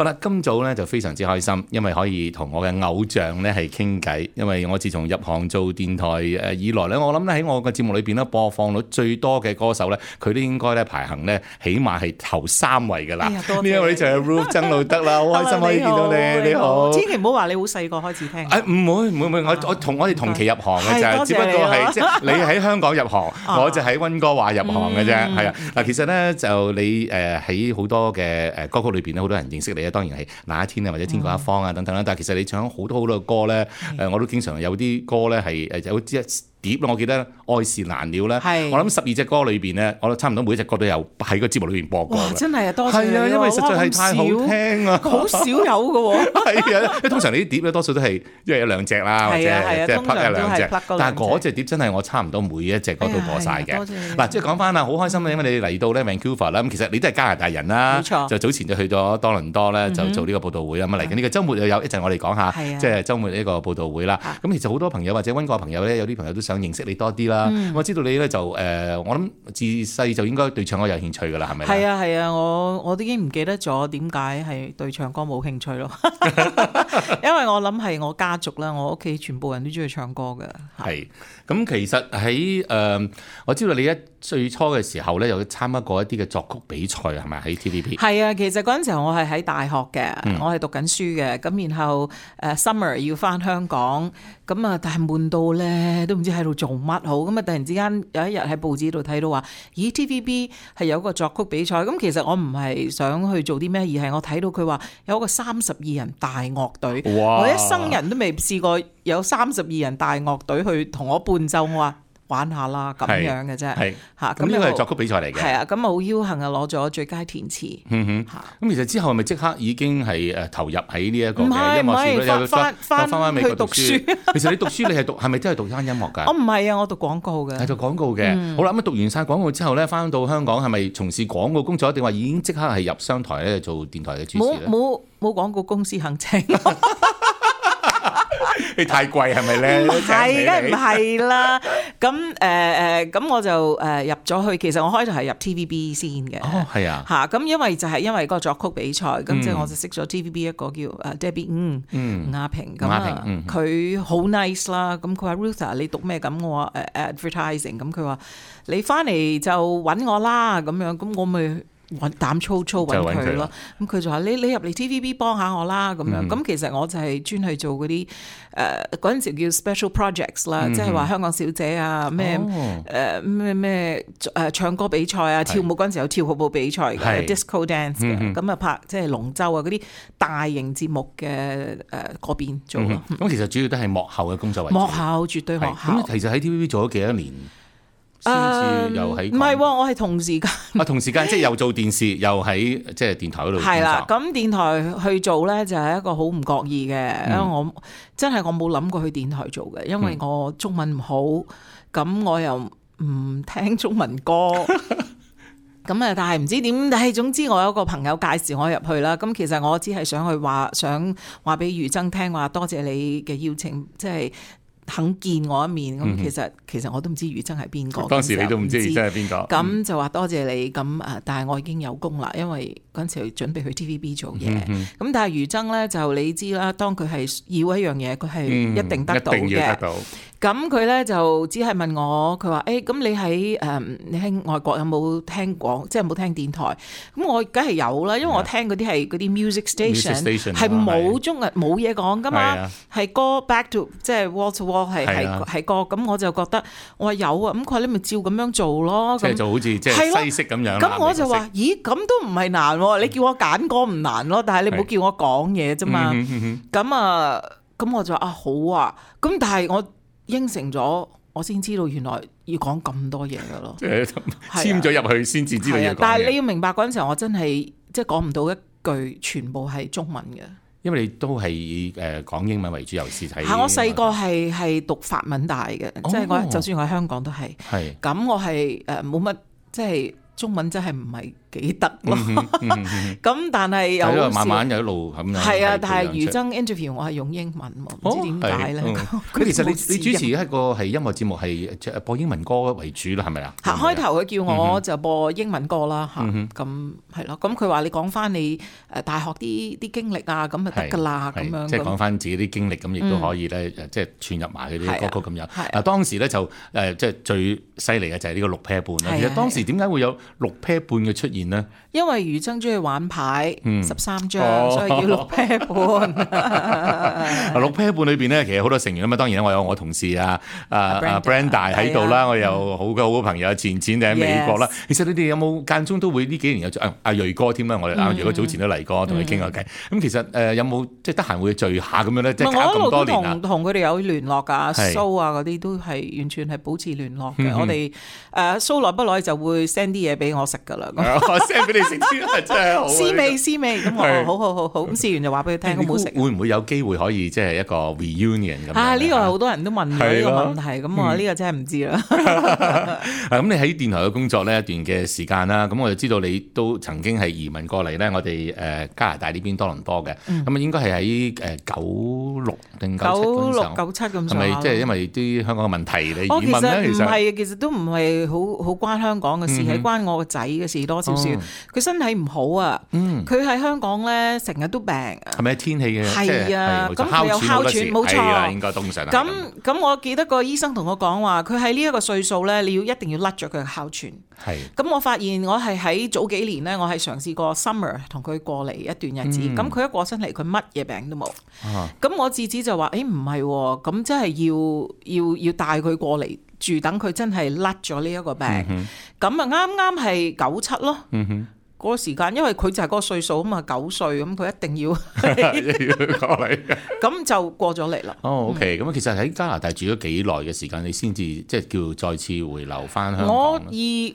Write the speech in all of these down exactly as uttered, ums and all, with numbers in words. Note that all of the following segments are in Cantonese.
好啦，今早咧就非常之開心，因為可以同我嘅偶像咧係傾偈。因為我自從入行做電台誒以來咧，我諗咧喺我嘅節目裏邊咧播放率最多嘅歌手咧，佢都應該咧排行咧起碼係頭三位㗎啦。呢一位就係 Ruth 曾路德啦，好開心可以見到你，你好。千祈唔好話你好細個開始聽。誒唔會唔會唔會，我我同我哋同期入行嘅啫，只不過係即係你喺香港入行，我就喺溫哥華入行嘅啫。係啊，嗱其實咧就你誒喺好多嘅誒歌曲裏邊咧，好多人認識你啊，當然係那一天啊或者天各一方啊等等啦。但係其實你唱好多好多嘅歌咧，誒我都經常有啲歌咧係誒有啲碟咯，我記得愛是難了咧，我諗十二隻歌裏邊咧，我差唔多每一隻歌都有喺個節目裏邊播過。哇！真係啊，多謝你。係啊，因為實在係太好聽啊，好少有嘅喎。係啊，因為通常你啲碟咧多數都係一係有兩隻啦，或者即係 plug 一兩隻。但係嗰隻碟真係我差唔多每一隻歌都播晒嘅。嗱，即係講翻啦，好開心啊，因為你嚟到咧 Vancouver 啦，咁其實你都係加拿大人啦，就早前就去咗多倫多咧，就做呢個報道會啊。咁嚟緊呢個週末又有一陣我哋講下，即係週末呢個報道會啦。咁其實好多朋友或者溫哥華朋友咧，有啲朋友都想認識你多啲。嗯、我知道你咧就誒、呃，我諗自細就應該對唱歌有興趣㗎啦，係咪？係啊係啊，我我都已經唔記得咗點解係對唱歌冇興趣咯。因為我諗係我家族啦，我屋企全部人都中意唱歌㗎。係，咁其實喺誒、呃，我知道你一最初嘅時候咧，有參加過一啲嘅作曲比賽係咪喺 T V B？ 係啊，其實嗰陣時候我係喺大學嘅，嗯、我係讀緊書嘅，咁然後誒、uh, summer 要返香港，咁啊但係悶到咧都唔知喺度做乜好，咁啊突然之間有一日喺報紙度睇到話，咦 T V B 係有個作曲比賽，咁其實我唔係想去做啲咩，而係我睇到佢話有一個三十二人大樂隊，我一生人都未試過有三十二人大樂隊去同我伴奏，我話玩下啦咁樣嘅啫，嚇咁呢個係作曲比賽嚟嘅，係啊，咁啊好僥倖啊攞咗最佳填詞。嗯哼，咁其實之後係咪即刻已經係誒投入喺呢一個嘅音樂事？唔係唔係，翻翻翻去讀書。其實你讀書你係讀係咪真係讀翻音樂㗎？我唔係啊，我讀廣告嘅。係讀廣告嘅。嗯、好啦，咁讀完晒廣告之後咧，翻到香港係咪從事廣告工作，定話已經即刻係入商台咧做電台嘅主持咧？冇冇冇廣告公司肯請。你太貴係咪咧？唔係，梗唔係啦。咁誒誒，咁、呃、我就誒入咗去。其實我開頭係入 T V B 先嘅。哦，係啊。嚇，咁因為就係因為個作曲比賽，咁、嗯、即係我就識咗 T V B 一個叫誒 Debbie 吳吳亞萍。咁啊，佢好 nice 啦。咁佢話 Ruth 你讀咩？咁我話誒 advertising。咁佢話你翻嚟就揾我啦。咁樣，咁我咪膽粗粗揾佢咯，咁佢就話你你入嚟 T V B 幫下我啦咁樣，咁、嗯、其實我就係專去做嗰啲誒嗰陣時叫 special projects 啦，即係話香港小姐啊咩誒咩咩誒唱歌比賽啊，跳舞嗰陣時有跳舞比賽嘅 disco dance 嘅，咁啊拍即係龍舟啊嗰啲大型節目嘅誒嗰邊做咯。咁、嗯、其實主要都係幕後嘅工作為主。幕後絕對幕後。咁其實喺 T V B 做咗幾多年？先至又喺唔係喎，我係同時間啊，同時間即係又做電視，又喺即係電台嗰度。係啦，咁電台去做咧就係一個好唔覺意嘅，嗯、因為我真係我冇諗過去電台做嘅，因為我中文唔好，咁、嗯、我又唔聽中文歌，咁啊，但係唔知點，但係總之我有一個朋友介紹我入去啦。咁其實我只係想去話，想話俾余爭聽話，多謝你嘅邀請，即係。肯見我一面咁、嗯，其實其實我都唔知余爭係邊個。當時你都唔知余爭係邊個。咁、嗯、就話多謝你咁啊！但係我已經有工啦，因為嗰陣時準備去 T V B 做嘢。咁、嗯、但係余爭咧就你知啦，當佢係要一樣嘢，佢係一定得到嘅。嗯、一定要得到。咁佢咧就只係問我，佢話誒咁你喺誒、嗯、你喺外國有冇聽廣，即係有冇聽電台？咁我梗係有啦，因為我聽嗰啲係嗰啲 music station，係冇中文冇嘢講噶嘛，係歌 back to 即係 wall to wall 係係係歌。咁我就覺得我話有啊，咁佢話你咪照咁樣做咯。即係就好似即係西式咁樣。咁我就話咦，咁都唔係難喎，你叫我揀歌唔難咯，但係你唔好叫我講嘢啫嘛。咁啊，咁我就話啊好啊，咁但係我。應承咗，我先知道原來要講咁多嘢㗎咯。即係簽咗入去先至知道要講嘢。但係你要明白嗰陣時候，我真係即係講唔到一句全部係中文嘅。因為你都係以誒講英文為主，尤其是睇。係我細個係係讀法文大嘅，即係我就算我喺香港都係。係。咁我係誒冇乜即係中文真係唔係幾得咯。咁但係又慢慢有一路咁樣。係啊，但係余爭 interview 我係用英文喎，唔知點解咧。其實你你主持一個係音樂節目係播英文歌為主啦，係咪啊？開頭佢叫我就播英文歌啦嚇，咁係咯。咁佢話你講翻你誒大學啲啲經歷啊，咁就得㗎啦咁樣。即係講翻自己啲經歷，咁亦都可以咧，即係串入埋佢啲歌曲咁樣。啊，當時咧就誒即係最犀利嘅就係呢個六 pair 半啦。其實當時點解會有六 pair 半嘅出現呢？因為余爭中意玩牌，十三張，所以叫六 pair 半。六 pair 半裏邊咧，其實好多成員啊嘛。當然咧，我有我同事啊，啊 Brenda 喺度啦，我有好嘅好嘅朋友錢錢喺美國啦。其實你哋有冇間中都會呢幾年有阿阿瑞哥添啦？我哋阿瑞哥早前都嚟過，同佢傾下偈。咁其實誒有冇即係得閒會聚下咁樣咧？即係搞咁多年啊！我同佢哋有聯絡㗎，蘇啊嗰啲都係完全係保持聯絡嘅。我哋誒蘇耐不耐就會 send 啲嘢俾我食㗎啦。send 俾你食啲真係好。試味試味咁我好好好好咁試完就話俾佢聽，好唔好食？會唔會有機會可以即係一個 reunion 咁？啊呢個係好多人都問呢個問題，咁我呢個真係唔知啦。咁你喺電台嘅工作呢一段嘅時間啦，咁我就知道你都曾經係移民過嚟咧，我哋誒加拿大呢邊多倫多嘅，咁啊應該係喺誒九六定九七九六九七咁上下。係咪即係因為啲香港嘅問題嚟移民咧？其實唔係，其實都唔係好好關香港嘅事，係關我個仔嘅事多少少。佢身體唔好啊，佢喺香港咧成日都病。係咪天氣嘅？係啊，咁佢有哮喘，冇錯。應該通常。咁咁，我記得個醫生同我講話，佢喺呢一個歲數咧，你要一定要甩咗佢嘅哮喘。係。咁我發現我係喺早幾年咧，我係嘗試過 summer 同佢過嚟一段日子。咁佢、嗯、一過身嚟，佢乜嘢病都冇。咁、啊、我自此就話：誒唔係喎，咁真係要要要帶佢過嚟住，等佢真係甩咗呢一個病。咁啊啱啱係九七咯。嗯哼。嗰個時間，因為佢就係嗰個歲數啊嘛，九歲咁，佢一定要過嚟，咁就過咗嚟啦。哦 ，OK，咁、嗯、其實喺加拿大住咗幾耐嘅時間，你先至即係叫再次回流翻香港？我二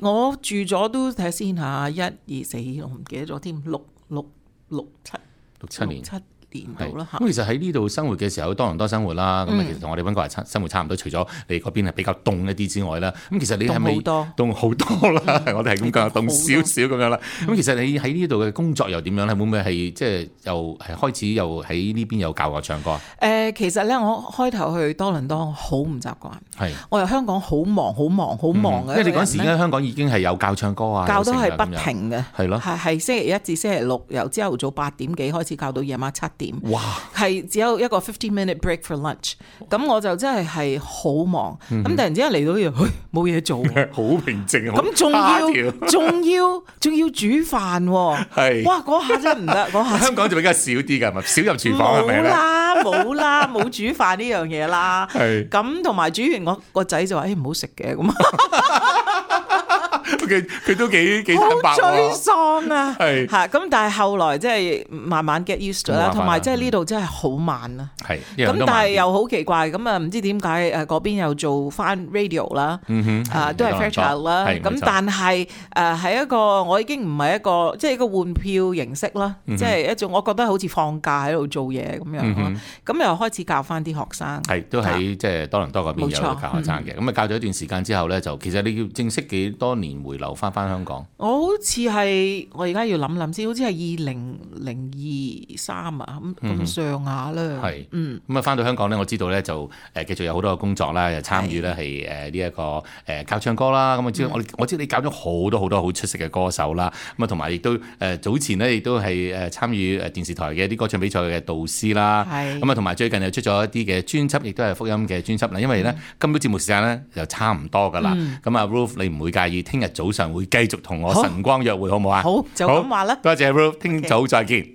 我住咗都睇下先嚇，一二四，我唔記得咗添，六六六七六七年。咁其實喺呢度生活嘅時候，多倫多生活啦，咁、嗯、其實同我哋溫哥華生活差唔多，除咗你嗰邊係比較凍一啲之外啦，咁其實你係咪凍好多啦？嗯、我哋係咁講，凍少少咁樣啦。咁、嗯、其實你喺呢度嘅工作又點樣咧？會唔會係即係又係開始又喺呢邊有教我唱歌啊？誒、呃，其實咧，我開頭去多倫多好唔習慣，係我由香港好忙、好忙、好忙嘅、嗯。因為你嗰時咧，香港已經係有教唱歌啊，教都係不停嘅，係咯，係係星期一至星期六，由朝頭早八點幾開始教到夜晚七點。哇！係只有一個fifteen minute break for lunch，咁我就真係係好忙，咁、嗯、突然之間嚟到呢度，冇嘢做，好平靜，咁仲要仲要仲要煮飯喎，係，哇嗰下真係唔得，嗰下香港就比較少啲㗎，咪少入廚房係咪咧？冇啦冇啦，冇煮飯呢樣嘢啦，係，咁同埋煮完我個仔就話：誒唔好食嘅咁。佢佢都幾幾坦白喎，好沮喪啊！係嚇咁，但係後來即係慢慢 get used to 啦，同埋即係呢度真係好慢啦。係咁，但係又好奇怪咁啊！唔知點解誒嗰邊又做翻 radio 啦，啊都係 Fairchild 啦。咁但係誒係一個我已經唔係一個即係一個換票形式啦，即係一種我覺得好似放假喺度做嘢咁樣咯。咁又開始教翻啲學生，係都喺即係多倫多嗰邊有教學生嘅。咁啊教咗一段時間之後咧，就其實你要正式幾多年回流翻翻香港？我好似係我而家要諗諗先，好似係二零零二三啊咁咁上下啦。係嗯咁啊，翻到香港咧，我知道咧就誒繼續有好多嘅工作啦，又參與咧係誒呢一個誒教唱歌啦。咁我知道我我知道你教咗好多好多好出色嘅歌手啦。咁啊，同埋亦都誒早前咧亦都係誒參與誒電視台嘅一啲歌唱比賽嘅導師啦。係咁啊，同埋最近又出咗一啲嘅專輯，亦都係福音嘅專輯啦。因為咧今朝節目時間咧就差唔多噶啦。咁啊 Ruth 你唔會介意聽日早上會繼續同我晨光約會好唔好啊？好，就咁話啦。多謝 Ruth，聽早再見。